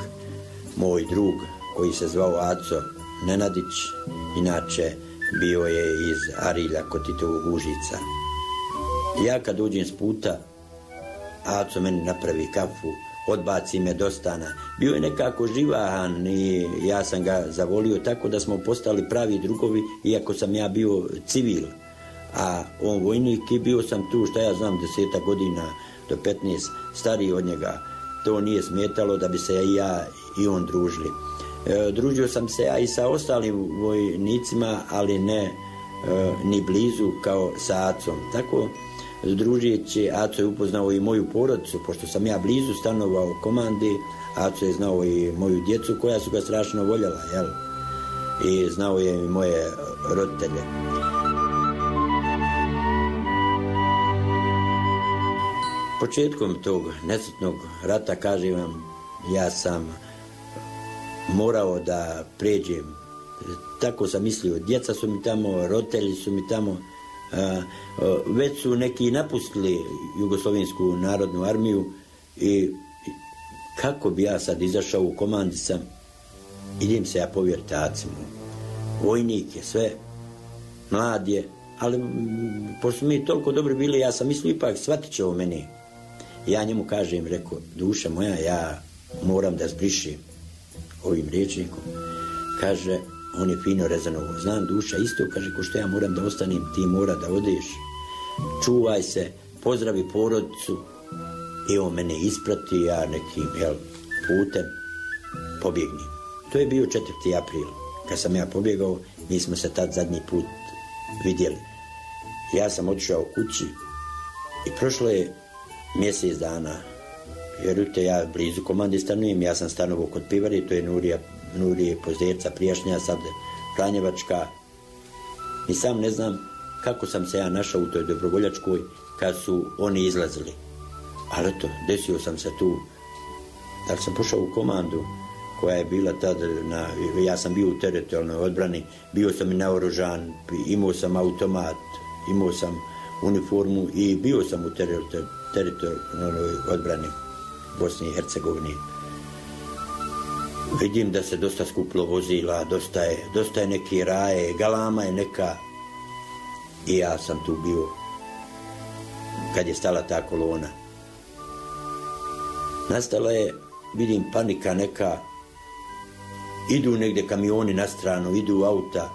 moj drug, koji se zvao Aco Nenadić, inače bio je iz Arilja kod Titovog Užica. Ja kad uđem s puta, Aco meni napravi kafu, odbaci me do stana. Bio je nekako živahan i ja sam ga zavolio tako da smo postali pravi drugovi, iako sam ja bio civil. A on vojnik i bio sam tu, šta ja znam, 10 godina do 15, stariji od njega. To nije smetalo da bi se ja i on družili. Družio sam se ja i sa ostalim vojnicima, ali ne ni blizu kao sa Acom. Tako, družijeći, Aco je upoznao i moju porodicu, pošto sam ja blizu stanovao u komandi. Aco je znao i moju djecu koja su ga strašno voljela, jel? I znao je i moje roditelje. Početkom tog nesretnog rata, kažem vam, ja sam morao da pređem. Tako sam mislio, djeca su mi tamo, roditelji su mi tamo. Već su neki napustili Jugoslovensku narodnu armiju i kako bi ja sad izašao u komandi sam, idem se ja povjeriti Acimu. Vojnik je sve, mlad je, ali pošto mi toliko dobri bili, ja sam mislio ipak shvatit će o meni. Ja njemu kažem, rekao, duša moja, ja moram da zbrišim ovim rječnikom. Kaže, on je fino rezano, znam duša isto, kaže, ko što ja moram da ostanem, ti mora da odeš. Čuvaj se, pozdravi porodicu. I on mene isprati, ja nekim putem pobjegnem. To je bio 4. april. Kad sam ja pobjegao, mi smo se tad zadnji put vidjeli. Ja sam otišao kući i prošlo je mjesec dana. Vjerujte, ja blizu komande stanujem, ja sam stanovao kod Pivari, to je Nurije Pozderca prijašnja, sad Franjevačka. I sam ne znam kako sam se ja našao u toj Dobrovoljačkoj kad su oni izlazili. Ali eto, desio sam se tu. Da sam pošao u komandu koja je bila tad, ja sam bio u teritorijalnoj odbrani, bio sam i naoružan, imao sam automat, imao sam uniformu i bio sam u teritorijalnoj odbrani Bosne i Hercegovine. Vidim da se dosta skuplo vozila, dosta je neki raje, galama je neka. I ja sam tu bio kad je stala ta kolona. Nastala je, vidim, panika neka. Idu negdje kamioni na stranu, idu auta.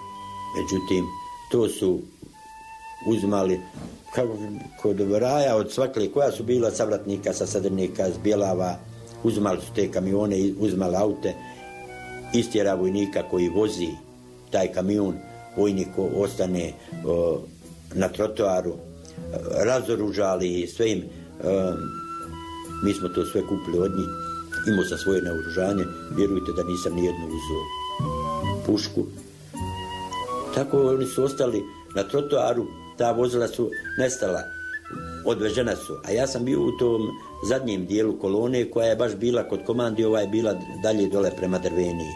Međutim, to su uzimali kod raja od svakle koja su bila savratnika, sa Sadrnika, s Bjelava, uzimali su te kamione, uzimali aute, istjera vojnika koji vozi taj kamion, vojnik ostane na trotoaru, razoružali sve im, mi smo to sve kupili od njih, imao sam svoje naoružanje, vjerujte da nisam nijednu uzeo pušku. Tako oni su ostali na trotoaru, ta vozila su nestala, odvežena su, a ja sam bio u tom zadnjem dijelu kolone koja je baš bila kod komandi, ova je bila dalje dole prema Drveniji.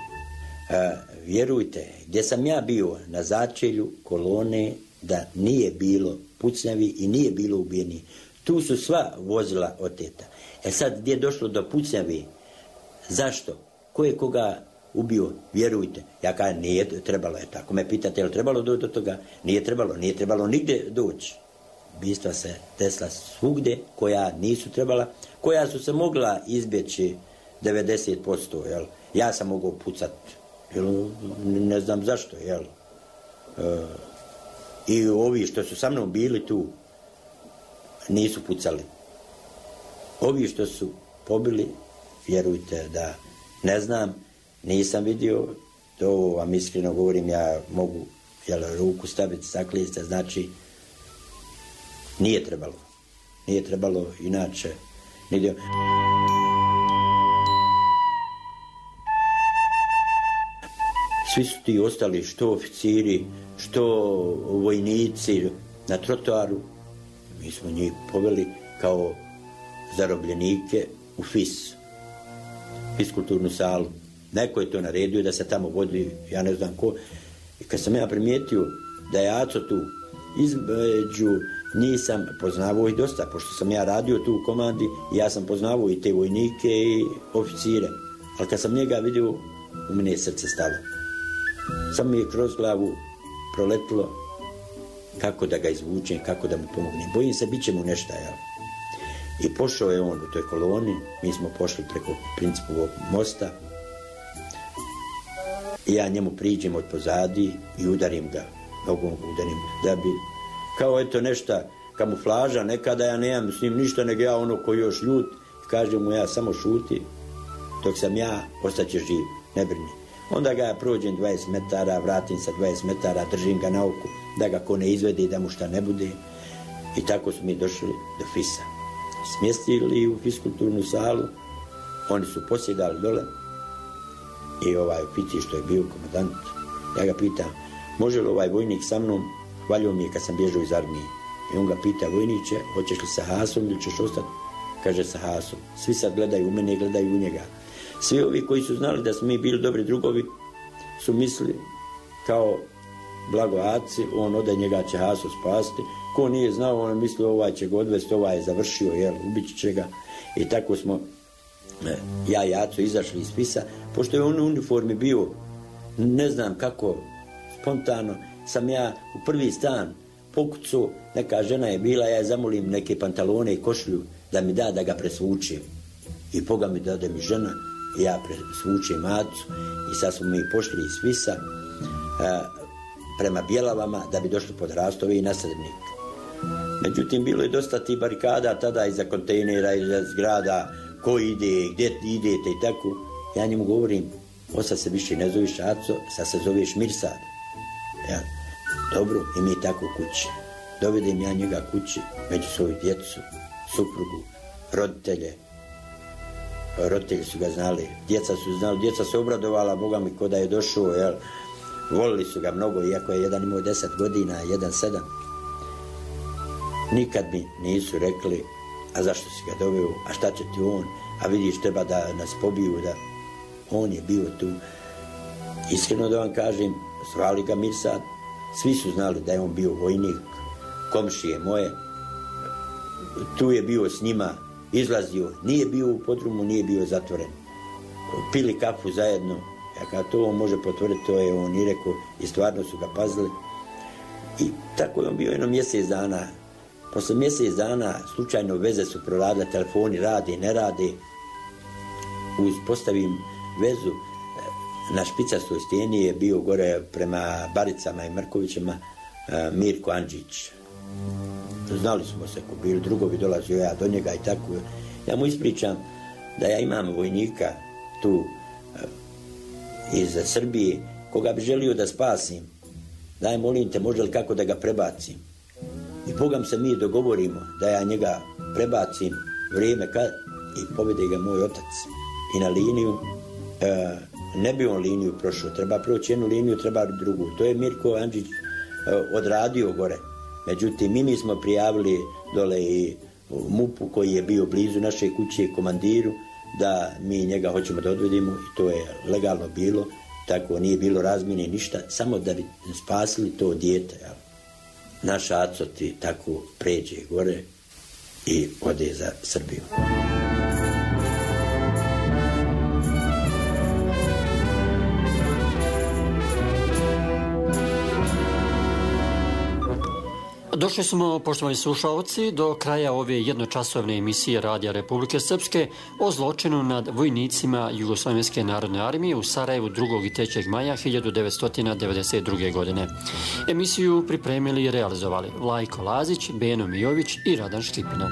Vjerujte, gdje sam ja bio na začelju kolone, da nije bilo pucnjavi i nije bilo ubijeni. Tu su sva vozila oteta. Sad gdje je došlo do pucnjavi, zašto? Ko je koga ubio? Vjerujte. Ja kažem, nije trebalo, je tako me pitate, je li trebalo doći do toga? Nije trebalo nigdje doći. Ubistva se desila svugdje koja nisu trebala, koja su se mogla izbjeći 90%, jel? Ja sam mogao pucati, ne znam zašto, jel? I ovi što su sa mnom bili tu nisu pucali. Ovi što su pobili, vjerujte da ne znam, nisam vidio, to vam iskreno govorim, ja mogu ruku staviti, zaklijesti, znači nije trebalo inače. Svi su ti ostali, što oficiri, što vojnici na trotoaru. Mi smo njih poveli kao zarobljenike u fiskulturnu salu. Neko je to naredio da se tamo vodi, ja ne znam ko. I kad sam ja primijetio da je Aco tu, između nisam poznavao ih dosta, pošto sam ja radio tu u komandi, ja sam poznavao i te vojnike i oficire. Ali kad sam njega vidio, u mene je srce stalo. Samo mi je kroz glavu proletilo kako da ga izvučem, kako da mu pomognem. Bojim se, bit će mu nešto, jel? I pošao je on u toj koloni, mi smo pošli preko Principovog mosta i ja njemu priđem od pozadi i udarim ga, nogom udarim, da bi, kao eto nešto, kamuflaža, nekada ja nemam s njim ništa, nego ja ono koji još ljut, kažem mu ja samo šuti, dok sam ja, ostaće živ, ne brini. Onda ga ja prođem 20 metara, vratim sa 20 metara, držim ga na oku, da ga ko ne izvede i da mu šta ne bude. I tako smo mi došli do FIS-a. Smjestili u fiskulturnu salu, oni su posjedali dole i ovaj oficir što je bio komandant, ja ga pitam, može li ovaj vojnik sa mnom, hvalio mi je kad sam bježao iz armije. I on ga pita, vojniče, hoćeš li sa Hasom ili ćeš ostati? Kaže, sa Hasom. Svi sad gledaju u mene i gledaju u njega. Svi ovi koji su znali da smo mi bili dobri drugovi su mislili kao Blago Aci, on ode, njega će Haso spasti. Ko nije znao, on je mislio ovaj će ga odvesti, ovaj je završio, ubit će ga. I tako smo, ja i Aco, izašli iz FIS-a. Pošto je on u uniformi bio, ne znam kako, spontano, sam ja u prvi stan pokucao, neka žena je bila, ja je zamolim neke pantalone i košlju da mi da ga presvučem. I poga mi dade mi žena, i ja presvučem Acu i sad smo mi pošli iz FIS-a prema Bjelavama da bi došli pod Rastove i na Srednik. Međutim, bilo je dosta tih barikada tada iza kontejnera, iza zgrada, ko ide, gdje idete i tako. Ja njemu govorim, sad se više ne zoveš Aco, sad se zoveš Mirsad. Ja, dobro, i mi tako kući. Dovedem ja njega kući, među svoju djecu, suprugu, roditelje. Roditelji su ga znali, djeca su znali, djeca se obradovala, Boga mi, ko da je došao, volili su ga mnogo, iako je jedan imao 10 godina, jedan 7. Nikad mi nisu rekli, a zašto si ga doveo, a šta će ti on, a vidiš, treba da nas pobiju, da on je bio tu. Iskreno da vam kažem, zvali ga Mirsad, svi su znali da je on bio vojnik, komšije moje, tu je bio s njima, izlazio, nije bio u podrumu, nije bio zatvoren. Pili kafu zajedno, ja kada to on može potvrditi, to je on i rekao, i stvarno su ga pazili. I tako je on bio jedno mjesec dana. Posle mjesec dana slučajno veze su proradile, telefoni rade, ne rade. Uspostavim vezu, na špicastoj stijeni je bio gore prema Baricama i Mrkovićima, Mirko Andžić. Znali smo se ko bili, drugovi dolazio ja do njega i tako. Ja mu ispričam da ja imam vojnika tu iz Srbije koga bi želio da spasim. Daj, molim te, može li kako da ga prebacim? I Bogam se mi dogovorimo da ja njega prebacim vrijeme kad i povede ga moj otac. I na liniju, ne bi on liniju prošao, treba proći jednu liniju, treba drugu. To je Mirko Andžić odradio gore. Međutim, mi smo prijavili dole i MUP-u koji je bio blizu naše kuće, komandiru, da mi njega hoćemo da odvedimo i to je legalno bilo, tako nije bilo razmjene ništa, samo da bi spasili to dijete. Jel? Naš aco ti tako pređe gore i ode za Srbiju. Došli smo, poštovani slušalci, do kraja ove jednočasovne emisije Radija Republike Srpske o zločinu nad vojnicima Jugoslovenske narodne armije u Sarajevu 2. i 3. maja 1992. godine. Emisiju pripremili i realizovali Vlajko Lazić, Beno Mijović i Radan Škipina.